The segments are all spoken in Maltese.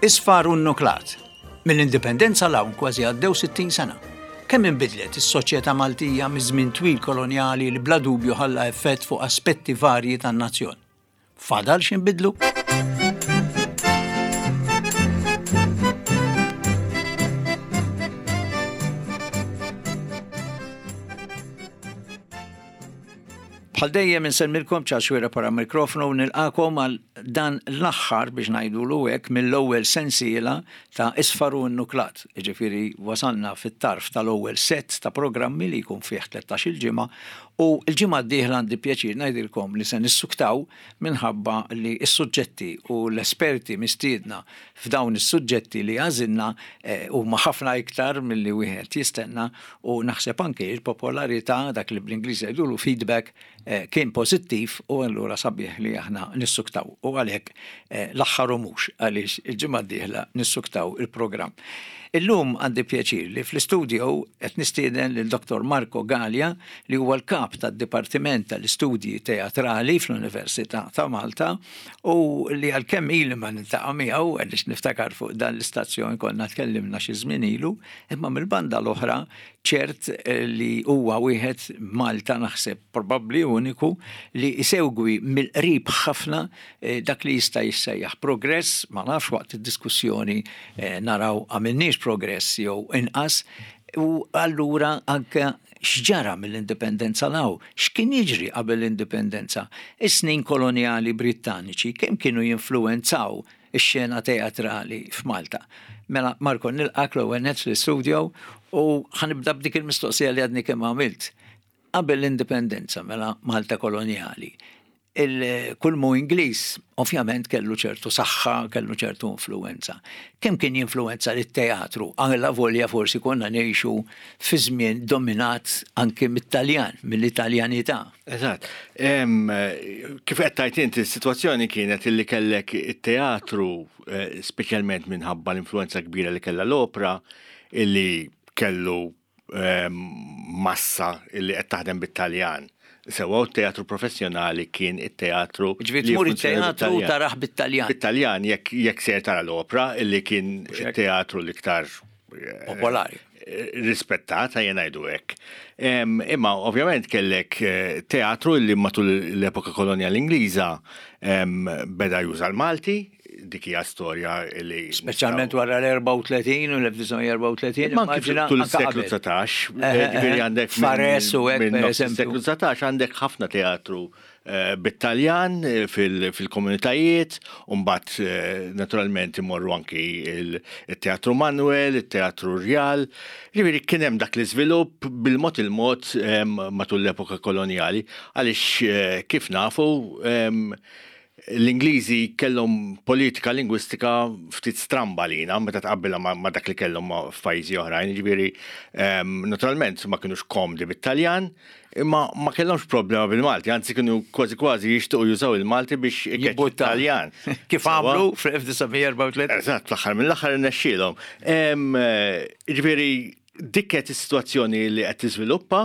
Isfar u nnuklat. Mill-Indipendenza 'l hawn kważi għaddew 60 sena. Kemm inbidlet is-soċjetà Maltija miż-żmien twil kolonjali li bla dubju ħalla effett fuq aspetti varji tan-nazzjon? Fadal x'inbidlu? Bħal dejjem insellmilkom Charles Xuereb wara mikrofonu u nilqakom għal dan l-aħħar biex ngħidulu hekk mill-ewwel sensiela ta' Isfar u Nnuklat. Jiġifieri wasalna fit-tarf tal-ewwel sett ta' programmi li jkun fih 13-il ġimgħa u l-ġimgħa d-dieħla għandi pjaċir ngħidilkom li se nissuktaw minħabba li s-suġġetti u l-esperti mistiedna f'dawn is-suġġetti li għażilna huma ħafna iktar milli wieħed jistenna u naħseb anke l-popolarità, dak li bl-Ingliż jgħidulu feedback, kien pożittiv u allura sabiħ li aħna nissuktaw u għalhekk l-aħħar u mhux għaliex il-ġimgħa d-dieħla nissuktaw il-programm. Illum għandi pjaċir li fl-istudio qed nistieden lil Dottor Marco Galea li huwa l-kap tad-Dipartiment tal-Istudji Teatrali fl-Università ta' Malta u li għalkemm ili ma niltaqa' miegħu għaliex niftakar fuq dan l-istazzjon konna tkellimna xi żmien ilu, imma mill-banda l-oħra ċert li huwa wieħed Malta naħseb probabbli uniku li jsegwi mill-qrib ħafna dak li jista' jissejjaħ progress, ma nafx waqt id-diskussjoni naraw għamilniex progress jew inqas, u allura anke x'ġara mill-indipendenza 'l hawn, x'kien jiġri qabel l-indipendenza, is-snin kolonjali Brittaniċi kemm kienu jinfluwenzaw ix-xena teatrali f'Malta. Mela Marco nilqgħek l-ewwel nett fl-istudio u ħa nibda b'dik il-mistoqsija li għadni kemm għamilt. Qabel l-indipendenza, mela Malta kolonjali, kull mu Ingliż ovvjament kellu ċertu saħħa, kellu ċertu influwenza. Kemm kien jinfluwenza lit-teatru? Alla volja forsi konna ngħixu fi żmien dominat anke mit-Taljan, mill-Italjanità. Eżatt. Kif qed tgħid inti, is-sitwazzjoni kienet illi kellek it-teatru, eh, speċjalment minħabba l-influenza kbira li kellha l-opra, illi kellu massa illi qed taħdem bit-Taljan. Sewwa u t-teatru professjonali kien it-teatru. Ġifieri tmur it-teatru taraħ bit-Taljan. Bit-Taljan jekk jekk ser tara l-opra illi kien it-teatru l-iktar eh, popolari. Rispettat, ejja ngħidu hekk. Imma ovvjament kellek eh, teatru illi matul l-epoka kolonjali Ingliża beda juża l-Malti, dik hija storja li. Speċjalment wara l-34 u l-1934. Ma anki tul is-seklu 19, eh, eh, ġifieri eh, għandek. Fares u hekk pereżempju. Seklu 19 għandek ħafna teatru bit-Taljan fil-komunitajiet, u mbagħad naturalment imorru anki il-Teatru Manuel, il-Teatru Rjal. Ġifieri kien hemm dak l-iżvilupp bil-mod il-mod matul l-epoka kolonjali, għaliex kif nafu L-Ingliżi kellhom politika lingwistika ftit stramba għalina meta tqabbilha ma' dak li kellhom f'pajjiżi oħrajn, jiġifieri ehm, naturalment ma kinux komdi bit-Taljan, imma ma kellhomx problema bil-Malti, anzi kienu kważi kważi jixtiequ jużaw il-Malti biex ikeċċu Taljan. Kif għamlu fl-1934. Eżatt, fl-aħħar mill-aħħar irnexxielhom. Ehm, jiġifieri dik qed is-sitwazzjoni li qed tiżviluppa,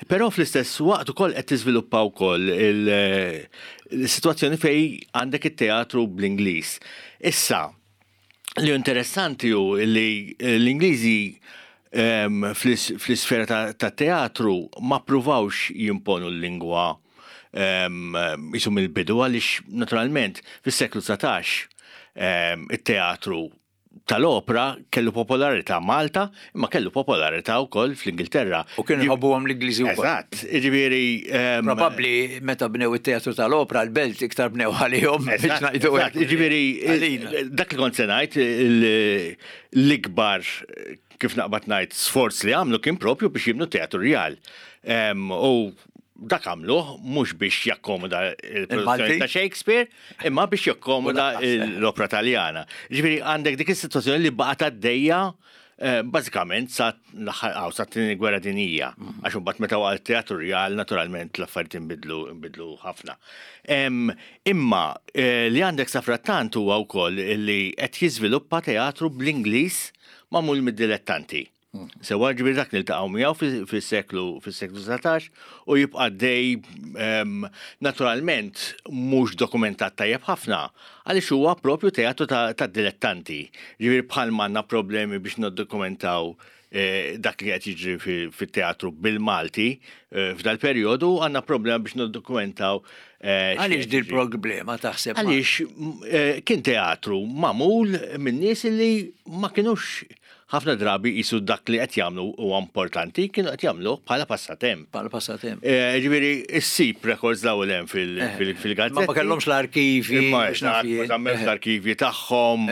però fl-istess waqt ukoll qed tiżviluppa wkoll il-sitwazzjoni fejn għandek it-teatru bl-Ingliż. Issa, li interessanti hu li l-Ingliżi ehm, fl-isfera ta' teatru ma ppruvawx jimponu l-lingwa ehm, jisu mill-bidu għaliex naturalment fis-seklu 19 ehm, it-teatru tal-opra kellu popolarità Malta, imma kellu popolarità wkoll fl-Ingilterra. U kienu jħobbuhom l-Ingliżi wkoll. Eżatt, jiġifieri. Ehm, Probabbli meta bnew it-teatru tal-opra l-belt iktar bnew għalihom biex ngħidu hekk. Jiġifieri dak li kont se ngħid l-ikbar kif naqbad ngħid sforz li għamlu kien propju biex jibnu teatru rjal. Ehm, u dak għamluh mhux biex jakkomoda il-produzzjoni ta' Shakespeare, imma biex jakkomoda l-opra Taljana. Ġifieri għandek dik is-sitwazzjoni li baqgħet għaddejja eh, bażikament sa l-aħħar sa t-tieni gwerra dinjija. Mm. Għax imbagħad meta waqa' t-teatru rjal naturalment l-affarijiet inbidlu inbidlu ħafna. Imma eh, li għandek sa frattant huwa wkoll li qed jiżviluppa teatru bl-Ingliż magħmul mid-dilettanti. Sewa ġifieri dak niltaqgħu miegħu fis-seklu fis-seklu 19 u jibqa' dej naturalment mhux dokumentat tajjeb ħafna għaliex huwa propju teatru ta' dilettanti. Ġifieri bħal m'għandna problemi biex niddokumentaw eh, dak li qed jiġri fit-teatru bil-Malti eh, f'dal-perjodu għandna problema biex niddokumentaw eh, Għaliex dil problema taħseb? Għaliex kien teatru magħmul minn nies li ma kinux ħafna drabi qisu dak li qed jagħmlu huwa importanti, kienu qed jagħmluh bħala passatemp. Bħala passatemp. Eh, ġifieri issib records daw l hemm fil-gazzetti. Ma kellhomx l-arkivi. Ma żammewx l-arkivi tagħhom,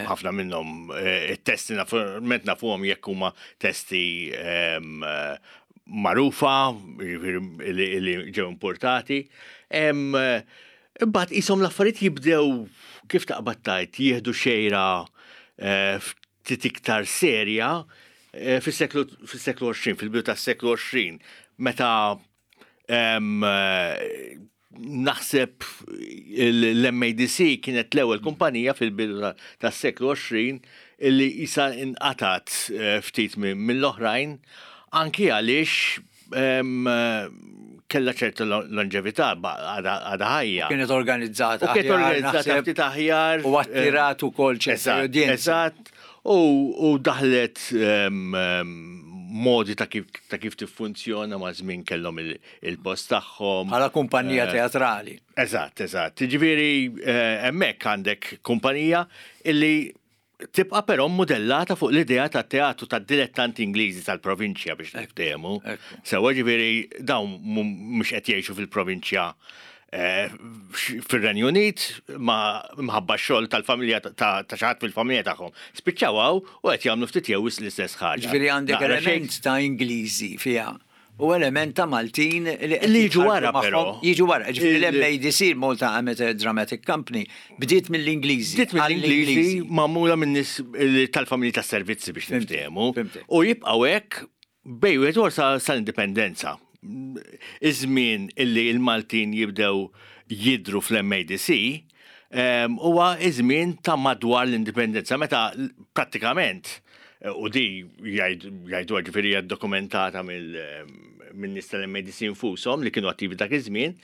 ħafna minnhom eh, it-testi naturalment nafuhom jekk huma testi ehm, magħrufa, jiġifieri li ġew importati. Ehm, imbagħad qishom l-affarijiet jibdew kif taqbad tgħid jieħdu xejra eh, ftit iktar serja eh, fis-seklu fis-seklu 20, fil-bidu tas-seklu 20, meta em, eh, naħseb l-MADC kienet l-ewwel kumpanija fil-bidu tas-seklu 20 illi isa inqatat eh, ftit mill-oħrajn anki għaliex kellha ċerta longevità għadha ħajja. Kienet organizzata. U kienet organizzata ftit aħjar. U attirat ukoll ċerta udjenza. Eżatt. U daħlet modi ta' kif ta' kif tiffunzjona ma' żmien kellhom il-post tagħhom. Bħala kumpanija eh, teatrali. Eżatt, eżatt. Ġifieri eh, hemmhekk għandek kumpanija illi Tibqa' però mmudellata fuq l-idea ta' teatru tad-dilettanti Ingliżi tal-provinċja biex niftehmu. Sewwa ġifieri dawn mhux qed jgħixu fil-provinċja eh, fir-Renju Unit ma mħabba x-xogħol tal-familja ta' xi ħadd fil-familja tagħhom. Spiċċaw hawn u qed jagħmlu ftit jew l-istess ħaġa. Ġifieri għandek element ta' Ingliżi fiha u element ta' Maltin li qed jiġu wara però. Jiġu wara, ġifieri l-MADC, Malta Amateur Dramatic Company, bdiet mill-Ingliżi. Bdiet mill-Ingliżi magħmula minn nies tal-familji tas-servizzi biex niftehmu. U jibqgħu hekk bejn wieħed u sal-indipendenza. Iż-żmien illi l-Maltin jibdew jidhru fl-MADC huwa iż-żmien ta' madwar l-indipendenza meta prattikament U di jgħidu ġifieri hija dokumentata minn nies tal-MADC infushom li kienu attivi dak iż-żmien,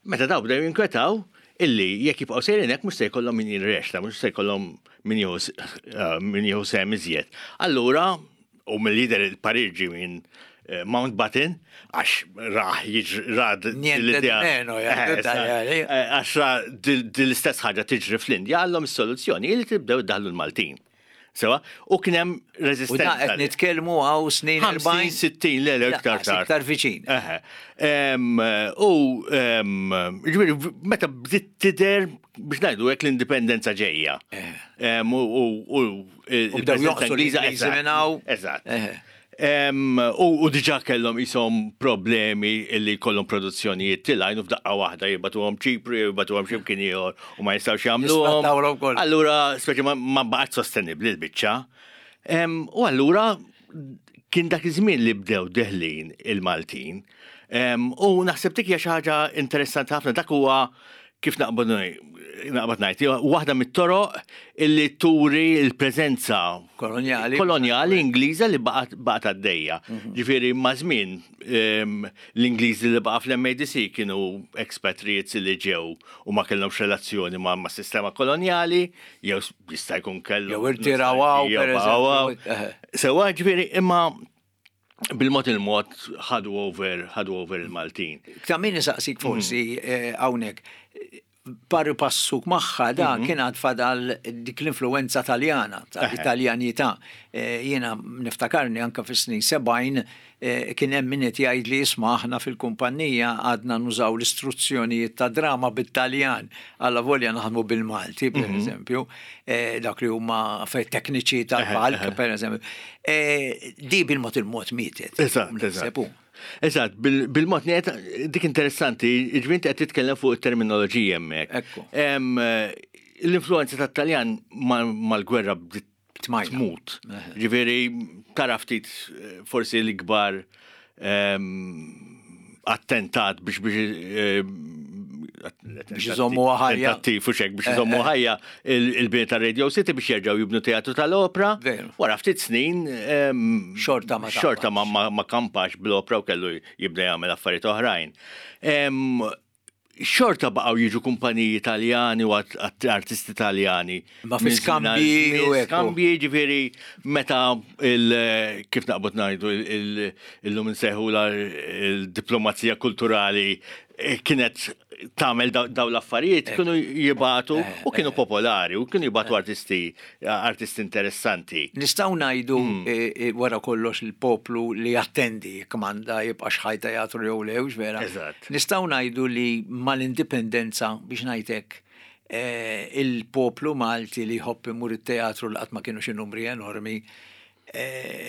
meta daw bdew jinkwetaw illi jekk jibqgħu sejrin hekk mhux se jkollhom min jirrexta, mhux se jkollhom min jieħu sehem iżjed. Allura, u mill-lider il-parir ġie minn eh, Mountbatten, għax raħ ra l-idea. Eh, għax ra l-istess ħaġa tiġri fl-Indja, għallhom is-soluzzjoni li tibdew iddaħlu l-Maltin. Sewa, u kien hemm reżistenza. U da qed nitkellmu hawn snin 50, 60, le, le, iktar tard. Iktar viċin. U ġifieri meta bdiet tidher biex ngħidu hekk l-indipendenza ġejja. U bdew joqsu l-Ingliżi minn hawn. Eżatt. U diġà kellhom qishom problemi li jkollhom produzzjonijiet tilgħin u f'daqqa waħda jibgħatuhom Ċipru jew jibgħatuhom xi mkien ieħor u ma jistgħux jagħmluhom. Allura speċi ma baqgħetx sostenibbli l-biċċa. U allura kien dak iż-żmien li bdew deħlin il-Maltin. U naħseb dik hija xi ħaġa interessanti ħafna dak huwa kif naqbad naqbad ngħid, waħda mit-toroq illi turi l-preżenza kolonjali kolonjali Ingliża li baqgħet għaddejja. Mhm. Ġifieri ma' żmien ehm, l-Ingliżi li baqa' fl-MADC kienu expatriates li ġew u ma kellhomx relazzjoni ma' sistema kolonjali, jew jista' jkun kellhom. Jew irtiraw hawn, Sewa ġifieri imma bil-mod il-mod ħadu over, ħadu over il-Maltin. Ta' min isaqsik forsi mhm. eh, hawnhekk pari passuk magħha da mhm. kien għad fadal dik l-influenza taljana, tal-Italjanità. Eh, jiena niftakarni anka fis-snin 70 eh, kien hemm min qed jgħid li isma' aħna fil-kumpanija għadna nużaw l-istruzzjonijiet ta' drama bit-Taljan, alla volja naħdmu bil-Malti, per mhm. eżempju. Eh, dak li huma tekniċi tal-palk, per eżempju. Eh, di bil-mod il-mod mietet. Eżatt, eżatt. Eżatt, bil-mod niet, dik interessanti, ġvint qed titkellem fuq it-terminoloġija hemmhekk. L-influenza tat-Taljan mal-gwerra bdiet tmut. Ġifieri tara ftit eh, forsi l-ikbar attentat biex biex Biex iżommuha ħajja. Tentattiv u xek biex iżommu ħajja il-bini ta' Radio City biex jerġgħu jibnu teatru tal-opra. Wara ftit snin. Xorta ma Xorta ma kampax bl-opra u kellu jibda jagħmel affarijiet oħrajn. Xorta baqgħu jiġu kumpaniji Taljani u artisti Taljani. Ma fi skambji u Skambji ġifieri meta il kif naqbad ngħidu illum insejħu il-diplomazija kulturali kienet tagħmel daw l-affarijiet, kienu jibatu u kienu popolari u kienu jibatu artisti artisti interessanti. Nistgħu ngħidu wara kollox il-poplu li jattendi kmanda jibqa' xħaj teatru jew le, vera. Eżatt. Nistgħu ngħidu li mal-indipendenza biex ngħidlek il-poplu Malti li jħobb imur it-teatru li qatt ma kienu xi numri enormi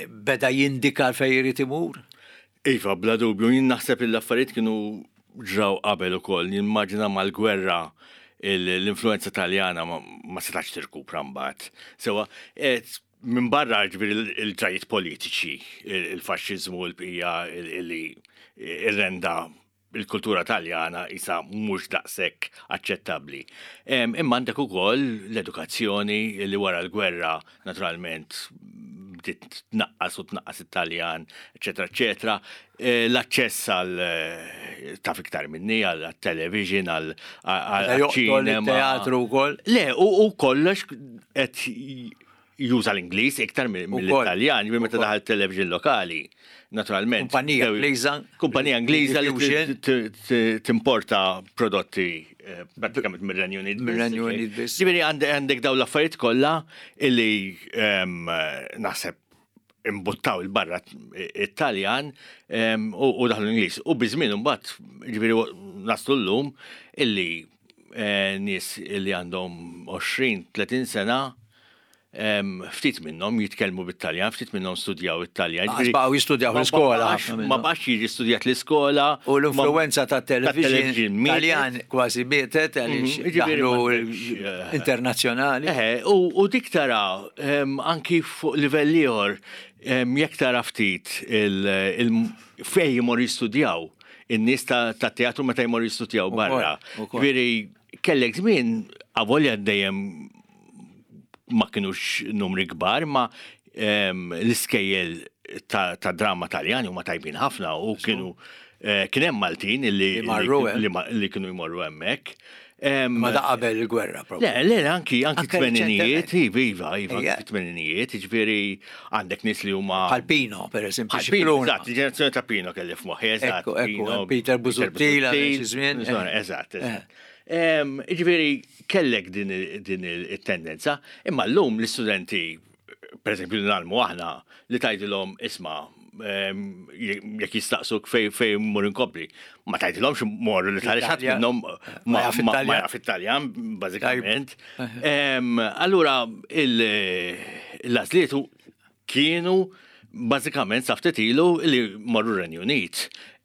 beda jindika fejn irid imur? Iva, bla dubju, jien naħseb li l-affarijiet kienu ġraw qabel ukoll. Nimmaġina mal-gwerra l-influenza Taljana ma setax tirkupra mbagħad. Sewa, minn barra ġifieri il-ġrajiet politiċi, il-faxxiżmu, il-bqija li irrenda il-kultura Taljana isa mhux daqshekk aċċettabbli. Imma għandek ukoll l-edukazzjoni li wara l-gwerra naturalment bdiet tnaqqas u tnaqqas it-Taljan, eċetera, eċetera. L-aċċess għal taf iktar minni għal television, għal ċinema. Teatru wkoll. Le, u kollox qed juża l-Ingliż iktar mill-Italjan, ġifieri meta daħal television lokali, naturalment. Kumpanija Ingliża. Kumpanija Ingliża li timporta prodotti pratikament mir-Renju Unit. Mir-Renju Unit biss. Ġifieri għandek dawn l-affarijiet kollha illi naħseb imbuttaw il-barra it-Taljan u daħlu l-Ingliż. U biż-żmien imbagħad, ġifieri naslu llum illi nies illi għandhom 20-30 sena ftit minnhom jitkellmu bit-Taljan, ftit minnhom studjaw it-Taljan. Baqgħu jistudjaw l-iskola. Ma baqax jiġi studjat l-iskola. U l-influenza ta' television Taljan kważi mietet għaliex daħlu internazzjonali. U dik tara anki fuq livell ieħor jekk tara ftit fejn jmorru jistudjaw in-nies ta' teatru meta jmorru jistudjaw barra. Ġifieri kellek żmien avolja dejjem ma kienux numri kbar, ma l-iskejjel ta' drama Taljani huma tajbin ħafna u kienu kien hemm Maltin li li kienu jmorru hemmhekk. Ma da qabel il-gwerra, proprio. Le, le, anki anki tmeninijiet, iva, iva, iva, anki tmeninijiet, ġifieri għandek nies li huma. Bħal Pino, per eżempju. Bħal Pino, eżatt, il-ġenerazzjoni ta' Pino kelli f'moħħi, eżatt. Ekku, Peter Busuttil, żmien. Eżatt, eżatt. Ġifieri kellek din it-tendenza, imma llum l-istudenti, per eżempju, li nagħlmu aħna, li tgħidilhom isma' jekk jistaqsuk fej fej mur inkompli, ma tgħidilhomx morru li tgħaliex ħadd minnhom ma jaf it-Taljan bażikament. Allura l-għażliet kienu bażikament sa ftit ilu li morru Renju Unit.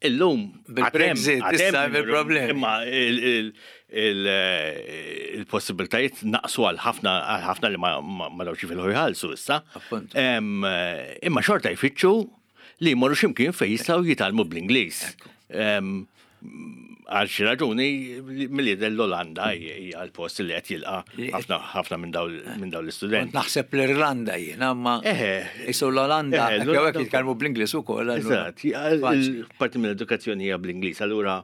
Illum bil-Brexit issa il-problemi. Imma il-possibiltajiet naqsu għal ħafna għal ħafna li ma dawx jifilħu jħallsu issa. Imma xorta jfittxu li jmorru x'imkien fejn jistgħu jitgħallmu bl-Ingliż. Għal xi raġuni milli l-Olanda hija l-post li qed jilqa' ħafna ħafna minn dawn l-istudenti. Naħseb l-Irlanda jiena, ma isu l-Olanda jew hekk jitkellmu bl-Ingliż ukoll. Eżatt, parti mill-edukazzjoni hija bl-Ingliż, allura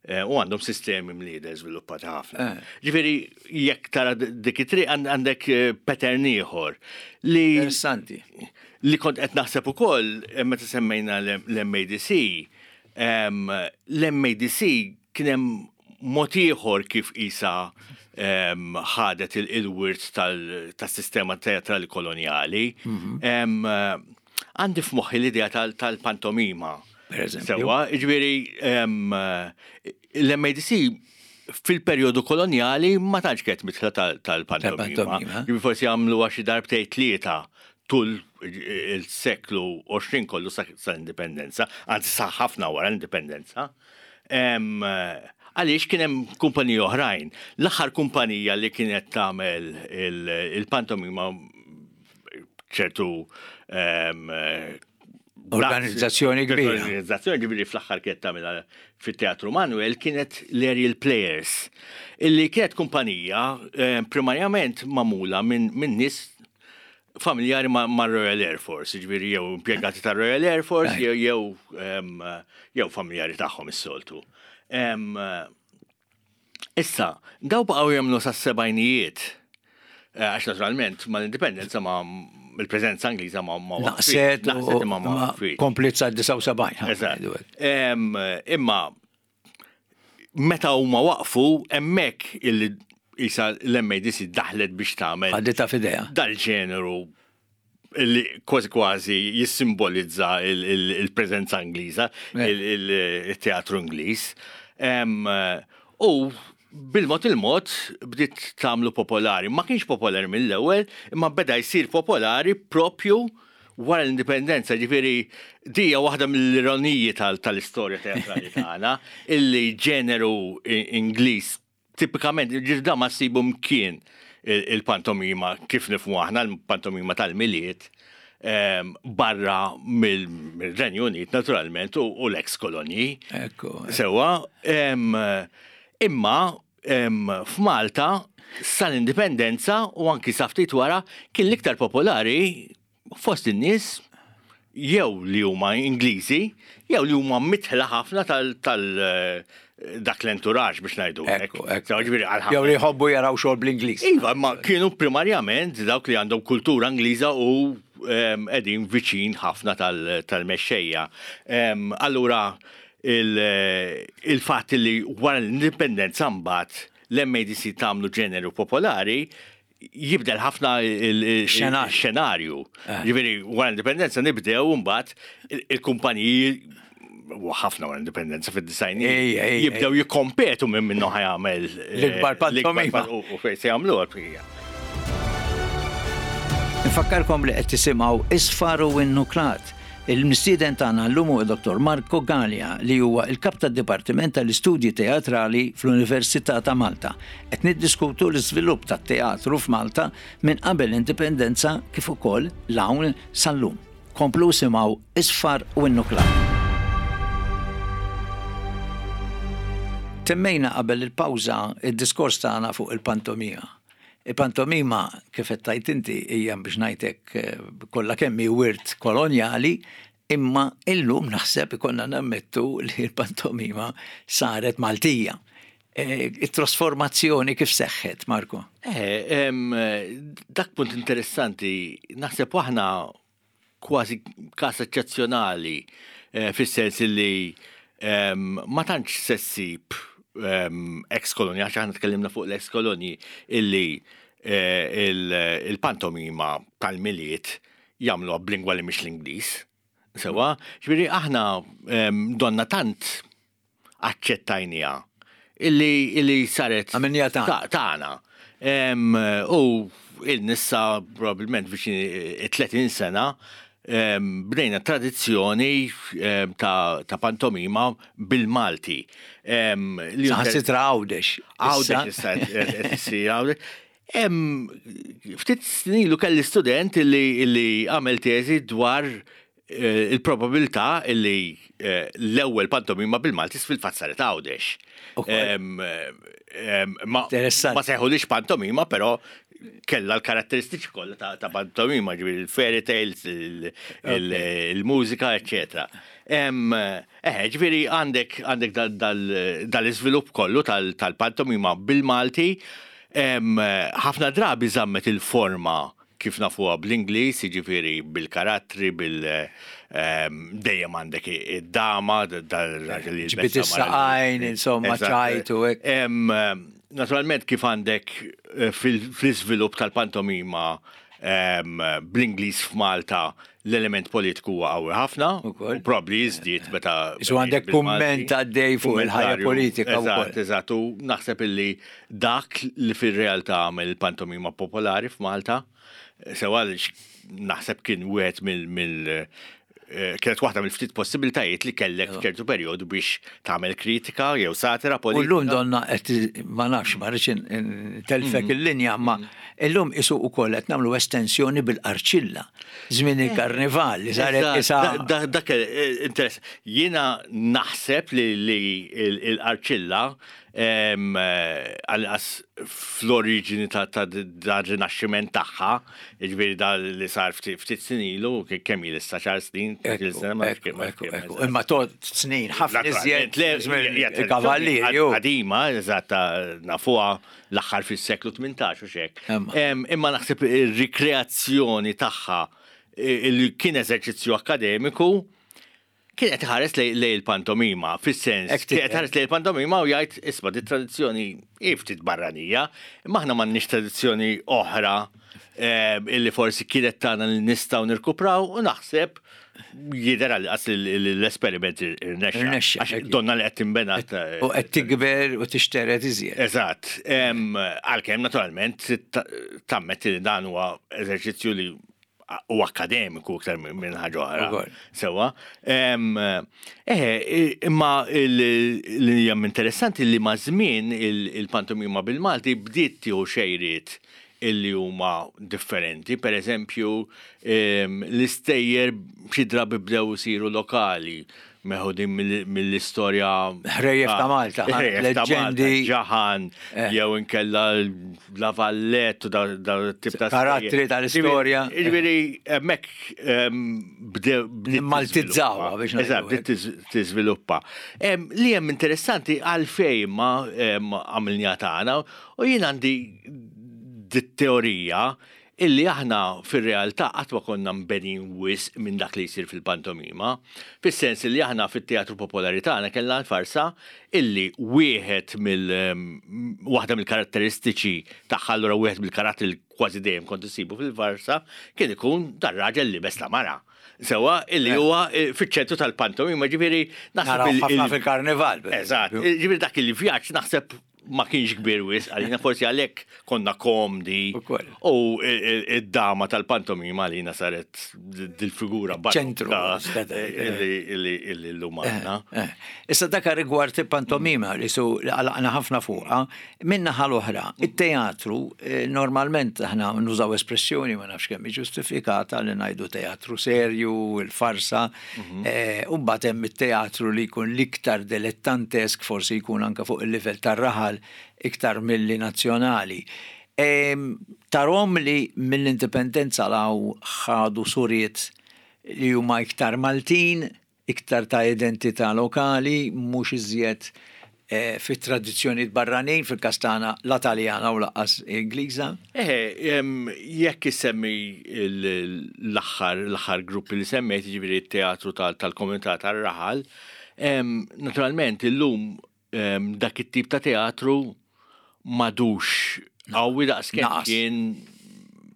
u għandhom sistemi mlieder żviluppati ħafna. Ġifieri jekk tara dik it-triq għandek pattern ieħor li Interessanti. Li kont qed naħseb ukoll meta semmejna l-MADC, l-MADC kien hemm mod ieħor kif isa ħadet il-wirt tas-sistema teatrali kolonjali. Għandi f'moħħi l-idea tal-pantomima. Per eżempju. Sewa, ġifieri l-MADC fil-perjodu kolonjali ma tantx kienet mitla tal-pantomima. Ġifieri forsi għamlu xi darbtejn tlieta tul il-seklu 20 kollu sal-indipendenza, anzi sa ħafna wara l-indipendenza. Għaliex kien hemm kumpaniji oħrajn. L-aħħar kumpanija li kienet tagħmel il-pantomima ċertu Organizzazzjoni kbira. Organizzazzjoni ġifieri fl-aħħar kienet tagħmilha fit-Teatru Manuel kienet l-Aerial Players, illi kienet kumpanija eh, primarjament magħmula minn nies familjari ma' Royal Air Force, ġifieri jew impjegati ta' Royal Air Force jew jew familjari tagħhom is-soltu. Issa, daw baqgħu jagħmlu sas-sebgħinijiet. Eh, għax naturalment mal-indipendenza ma il-preżenza Ingliża ma ma naqset naqset imma ma komplit sa 79. Eżatt. Imma meta huma waqfu hemmhekk illi isa l-MADC daħlet biex tagħmel. Ħaditha f'idejha. Dal-ġeneru li kważi kważi jissimbolizza il-preżenza Ingliża, il-teatru Ingliż. U bil-mod il-mod bdiet tagħmlu popolari. Ma kienx popolari mill-ewwel, imma beda jsir popolari propju wara l-indipendenza, ġifieri dija waħda mill-ironiji tal-istorja teatrali tagħna, illi ġeneru Ingliż Tipikament, ġifieri ma ssibu mkien il-pantomima kif nifhmu aħna l-pantomima tal-Milied barra mill-Renju Unit naturalment u l-ex kolonji. Ekku. Sewa, imma f'Malta sal-indipendenza u anki sa ftit wara kien l-iktar popolari fost in-nies jew li huma Ingliżi jew li huma mitħla ħafna tal dak l-entourage biex ngħidu. Ekku, ekku. Jew li jħobbu jaraw xogħol bl-Ingliż. Iva, ma kienu primarjament dawk li għandhom kultura Ingliża u qegħdin viċin ħafna tal-mexxejja. Allura il-fatt li wara l-indipendenza mbagħad l-MADC tagħmlu ġeneru popolari jibdel ħafna il-xenarju. Eh. Ġifieri wara l-indipendenza nibdew mbagħad il-kumpaniji u ħafna wara l-indipendenza fid-disajni jibdew jikkompetu minn minnu ħajamel eh, l-ikbar pantomima. U fejn se jagħmlu għal Nfakkarkom li qed tisimgħu Isfar u Innuklat. Il-mistieden tagħna llum huwa Dr. Marco Galea li huwa l-Kap tad-Dipartiment tal-Istudji Teatrali fl-Università ta' Malta. Qed niddiskutu l-iżvilupp tat-teatru f'Malta minn qabel l-Indipendenza kif ukoll 'l hawn sal-lum. Komplu isimgħu Isfar u Innuklat. Temmejna qabel il-pawża d-diskors tagħna fuq il-pantomima. Il-pantomima, kif qed tgħid inti, hija biex ngħid hekk kollha kemm hi wirt kolonjali, imma illum naħseb ikollna nammettu li l-pantomima saret Maltija. It-trasformazzjoni kif seħħet, Marco? Eh, dak punt interessanti, naħseb aħna kważi każ eċċezzjonali eh, fis-sens li ehm, ma tantx se ssib ehm, ex kolonji, għax aħna tkellimna fuq l-ex kolonji illi eh, il-pantomima tal-miliet jagħmluha b'lingwa li mhix l-Ingliż. Sewa, ġifieri aħna ehm, donna tant aċċettajniha illi illi saret Għamilniha tagħna. tagħna. U il-nissa probabbilment viċin 30 sena bdejna tradizzjoni ta' pantomima bil-Malti. Saħansitra Għawdex. Għawdex issa qed issir Għawdex. Ftit snin ilu kelli student illi għamel teżi dwar eh, il-probabilità illi eh, l-ewwel pantomima bil-Malti fil-fatt saret Għawdex. Ma sejħulix pantomima, però kella l-karatteristiċi kollha ta' pantomima, ġifieri il-fairy tales, il-mużika, eccetera. Eh, ġifieri għandek għandek dal-iżvilupp kollu tal-pantomima bil-Malti, ħafna drabi żammet il-forma kif nafuha bl-Ingliż, jiġifieri bil-karattri, bil dejjem għandek id-dama, dal-raġel li Ġbid is-saqajn, insomma, ċajt u hekk. Naturalment kif għandek eh, fl-iżvilupp tal-pantomima bl-Ingliż f'Malta l-element politiku huwa qawwi ħafna u probabbli jiżdied meta. Isu għandek kumment għaddej fuq il-ħajja politika. Eżatt, eżatt, u naħseb illi dak li fir-realtà għamel il-pantomima popolari f'Malta, sewa naħseb kien wieħed mill kienet waħda mill-ftit possibilitajiet li kellek f'ċertu perjodu biex tagħmel kritika jew satira politika. U llum donna qed ma nafx ma rridx telfek il-linja ma illum isu ukoll qed nagħmlu estensjoni bil-qarċilla żmien il-karnival li saret isa. Dak interess. Jiena naħseb li l-qarċilla għal-inqas fl-oriġini ta' dan rinaxximent tagħha, jiġifieri da li sar ftit snin ilu, kemm il issa xar snin, Imma tot snin, ħafna iżjed il-kavallieri. Qadima, eżatt, nafuha l-aħħar fis-seklu 18 u xek. Imma naħseb ir-rikreazzjoni tagħha li kien eżerċizzju akkademiku, Kien qed iħares lejn il-pantomima, fis-sens, kien qed iħares lejn il-pantomima u jgħid isma' di tradizzjoni hi ftit barranija, imma aħna m'għandniex tradizzjoni oħra eh, illi forsi kienet tagħna li nistgħu nirkupraw u naħseb jidher għal qas l-esperiment irnexxa. Għax donna li qed tinbena. U qed tikber u tixteret iżjed. Eżatt. Għalkemm naturalment tammetti li dan huwa eżerċizzju li u akademiku iktar minn ħaġa oħra. Sewa. Eh, imma li hija interessanti li ma' żmien il-pantomima bil-Malti bdiet tieħu xejriet illi huma differenti. Per eżempju, l-istejjer xi drabi bdew isiru lokali meħudin mill-istorja. Ħrejjef ta' Malta, leġendi. Ġaħan, eh. jew inkella La Vallette u da tip ta' karattri tal-istorja. Ġifieri hemmhekk bdew. Maltizzawa biex Eżatt, bdiet tiżviluppa. Li hemm interessanti għalfejn ma għamilniha tagħna u jien għandi dit-teorija illi aħna fir-realtà qatt ma konna mbenin wisq minn dak li jsir fil-pantomima, fis-sens illi aħna fit-teatru popolari tagħna kellna l-farsa illi wieħed mill waħda mill-karatteristiċi tagħha allura wieħed mill-karattri li kważi dejjem kont issibu fil-farsa kien ikun dar-raġel liebes la mara. Sewwa illi huwa fiċ-ċentru tal-pantomima, ġifieri naħseb ħafna fil-karnival. Eżatt, ġifieri dak il-vjaġġ naħseb ma kienx kbir wisq għalina forsi għalhekk konna komdi u id-dama tal-pantomima għalina saret dil-figura ċentru illi llum għandna. Eh, eh. Issa dak rigward il-pantomima li su għalaqna ħafna fuqha, minna l-oħra, it-teatru eh, normalment aħna nużaw espressjoni ma nafx kemm ġustifikata li ngħidu teatru serju, il-farsa, U mbagħad hemm it-teatru li jkun l-iktar dilettantesk, forsi jkun anke fuq il-livell tar-raħal iktar milli nazzjonali. Tarhom li mill-Indipendenza 'l hawn ħadu suriet li huma iktar Maltin, iktar ta' identità lokali, mhux iżjed fit-tradizzjonijiet barranin, fil-każ tagħna la Taljana u lanqas Ingliża. Eħe, jekk issemmi l-aħħar l-aħħar gruppi li semmejt, jiġifieri t-teatru tal-komunità tar-raħal, naturalment illum dak it-tip ta' teatru m'għadux qawwi daqs kemm kien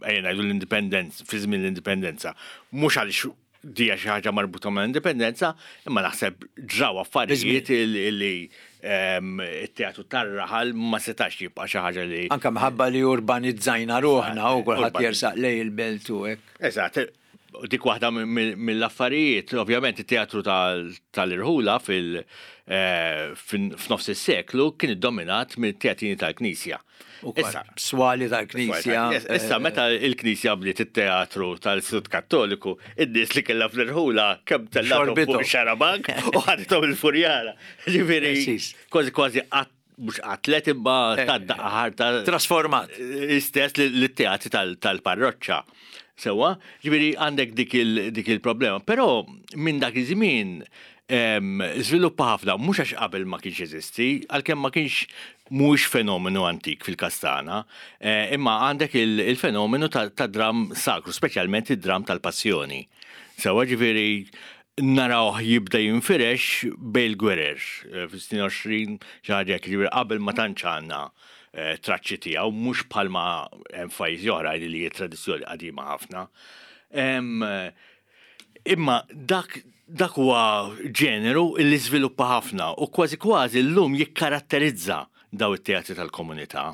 ejja ngħidu l-indipendenza, fi żmien l-indipendenza. Mhux għaliex dija xi ħaġa marbuta ma' indipendenza, imma naħseb ġraw affarijiet li it-teatru tar-raħal ma setax jibqa' xi ħaġa li. Anke minħabba li urbanizzajna ruħna u kulħadd jersaq lejn il-belt u hekk. Eżatt. Dik waħda mill-affarijiet, ovvjament it-teatru tal-irħula fil eh, f'nofs is-seklu kien iddominat mill-teatrini tal-Knisja. Issa, swali tal-Knisja. Issa, eh, meta il-Knisja bdiet it-teatru tal-Istitut Kattoliku, id-nies li kellha fl-irħula kemm tellgħu fuq xarabank u ħadithom il-furjara. Ġifieri, kważi kważi mhux qatlet imma eh, ta' daqqa ħarta. Trasformat. Istess li teatri tal-parroċċa. Sewa, ġifieri għandek dik il-problema. Però minn dak iż-żmien żviluppa ħafna, mhux għax qabel ma kienx jeżisti, għalkemm ma kienx mhuwiex fenomenu antik fil-każ tagħna, eh, imma għandek il-fenomenu ta' dram sakru, speċjalment id-dram tal-passjoni. Sewa ġifieri narawh jibda jinfirex bejn il-gwerer eh, fis-snin 20 xi ħaġa hekk, ġifieri qabel ma tantx għandna eh, traċċi tiegħu mhux bħalma hemm f'pajjiżi oħra li hija tradizzjoni qadima ħafna. Imma dak dak huwa ġeneru li żviluppa ħafna u kważi kważi llum jikkaratterizza daw it-teatri tal-komunità.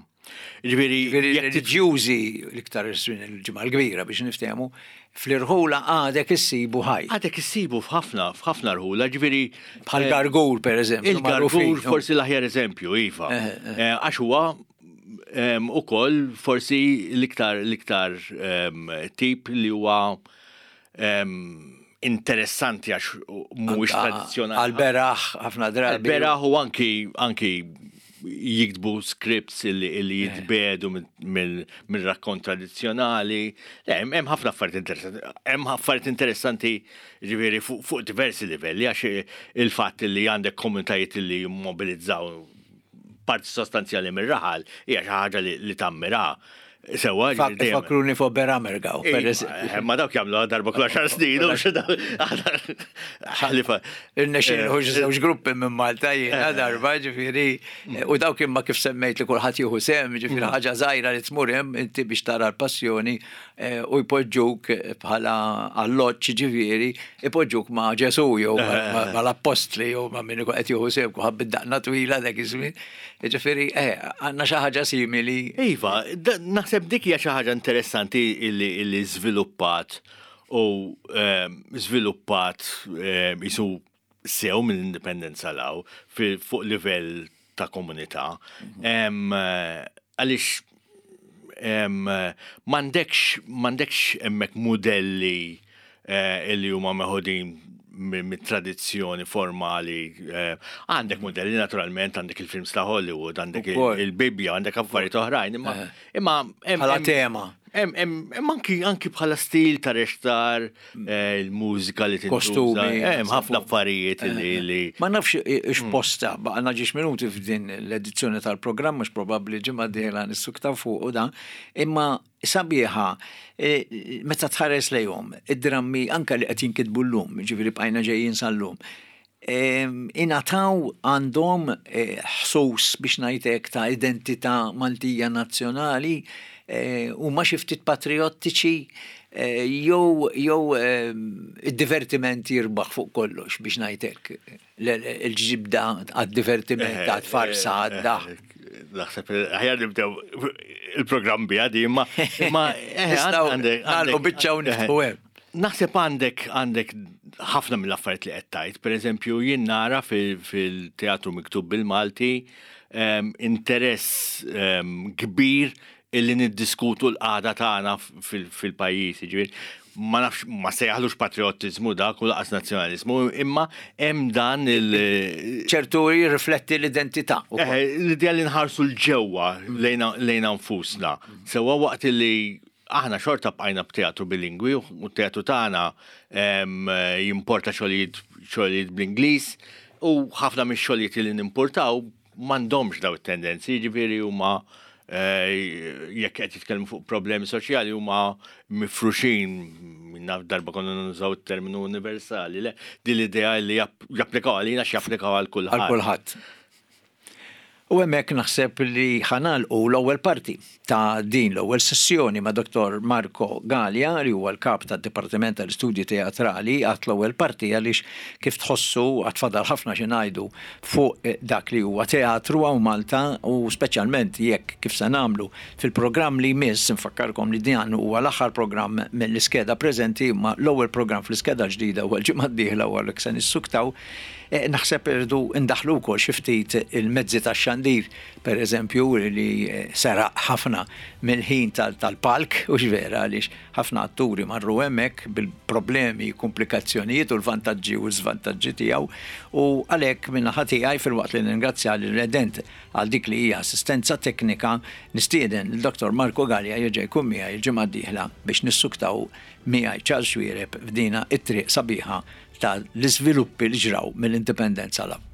Ġifieri reliġjużi l-iktar il-ġimgħa l-kbira biex niftehmu, fl-irħula għadek issibu ħaj. Għadek issibu f'ħafna f'ħafna rħula, ġifieri bħal eh, gargur pereżempju. Il-gargur forsi l-aħjar eżempju, iva. Eh, eh. Għax huwa ukoll forsi l-iktar l-iktar tip li huwa interessanti għax mhuwiex tradizzjonali. Għal-beraħ ħafna drabi. Għal-beraħ u anki anki jiktbu scripts illi eh. jitbedu mill-rakkont tradizzjonali. Le, hemm ħafna affarijiet interessanti. Hemm affarijiet interessanti ġifieri fuq diversi livelli għax il-fatt li għandek komunitajiet li jimmobilizzaw parti sostanzjali mir-raħal hija xi ħaġa li tammira. Sewa, Fakruni fuq Beramergaw, per eżempju. Eh, ma dawk jagħmlu darba kull għaxar snin, u ħalifa. Irnexxin eh, żewġ gruppi minn Malta jiena eh. darba, ġifieri, u dawk imma kif semmejt li kulħadd jieħu sem, ġifieri mm. ħaġa żgħira li tmur hemm inti biex tara l-passjoni u jpoġġuk bħala alloġġ ġifieri, ipoġġuk ma' Ġesu jew mal-appostli jew ma' min ikun qed jieħu sehem kulħadd bid-daqna twila dak iż-żmien. Ġifieri, eh, għandna xi ħaġa simili. Iva, naħseb dik hija xi ħaġa interessanti illi żviluppat u ehm, żviluppat ehm, isu sew mill-indipendenza law fuq livell ta' komunità. Mhm. Ehm, għaliex m'għandekx m'għandekx hemmhekk mudelli eh, illi huma meħudin mit-tradizzjoni formali. Eh, għandek modelli naturalment, għandek il-films ta' Hollywood, għandek il-Bibbja, għandek affarijiet oħrajn, imma eh. imma bħala tema. Hemm anki anki bħala stil ta' rextar, eh, il-mużika li tintuża. Kostumi. Hemm ħafna affarijiet li. Ma nafx x'posta baqgħna ġiex minuti f'din l-edizzjoni tal-programm mhux probabbli ġimgħa dieħla nissuktaw fuq u dan, imma sabiħa meta tħares lejhom id-drammi anke li qed jinkitbu llum, jiġifieri bqajna ġejjin sal-lum, ingħataw għandhom ħsus biex ngħid hekk ta' identità Maltija nazzjonali, huma xi ftit patrijottiċi jew jew id-divertiment jirbaħ fuq kollox biex ngħid hekk. Il-ġibda għad-divertiment, għad-farsa, għad-daħk. Naħseb aħjar nibdew il-programm biha di, imma imma għandek biċċa u niftħu hemm. Naħseb għandek għandek ħafna mill-affarijiet li qed tgħid. Pereżempju, jien nara fil-teatru miktub bil-Malti ehm, interess ehm, kbir illi niddiskutu l-qagħda tagħna fil-pajjiż, jiġifieri ma nafx ma sejjaħlux patriottiżmu dak u laqas nazzjonaliżmu, imma hemm dan il- ċertu jirrifletti l-identità. Eh, l-idea li nħarsu l-ġewwa lejna nfusna. Sewwa waqt li aħna xorta bqajna b'teatru bilingwi u t-teatru tagħna jimporta xogħlijiet xogħlijiet bl-Ingliż u ħafna mix-xogħlijiet li nimportaw m'għandhomx daw it-tendenzi, jiġifieri huma eh, jekk qed jitkellmu fuq problemi soċjali huma mifruxin naf darba konna nużaw it-terminu universali, le din l-idea li japplikaw għalina x'japplikaw għal kulħadd. Għal kulħadd. U hemmhekk naħseb li ħa nagħlqu l-ewwel parti ta' din l-ewwel sessjoni ma' Dottor Marco Galea li huwa l-Kap tad-Dipartiment tal-Istudji Teatrali. Għadt l-ewwel parti għaliex kif tħossu għad fadal ħafna xi ngħidu fuq dak li huwa teatru hawn Malta u speċjalment jekk kif se nagħmlu fil-programm li jmiss, infakkarkom li dan huwa l-aħħar programm mill-iskeda preżenti imma l-ewwel programm fl-iskeda l-ġdida huwa l-ġimgħa d-dieħla u għalhekk se nissuktaw. Naħseb irridu ndaħħlu wkoll xi ftit il-mezzi tax-xandir, per eżempju, li seraq ħafna mill-ħin tal-palk, hux vera, għaliex ħafna atturi marru hemmhekk bil-problemi, kumplikazzjonijiet u l-vantaġġi u l-żvantaġġi tiegħu u għalhekk min-naħa tiegħi filwaqt li nirringrazzja lil Redent għal dik li hija assistenza teknika, nistieden lil Dottor Marco Galea jerġa' jkun miegħi l-ġimgħa d-dieħla biex nissuktaw miegħi Charles Xuereb f'dina t-triq sabiħa ta' l-iżviluppi li ġraw mill-Indipendenza 'l hawn.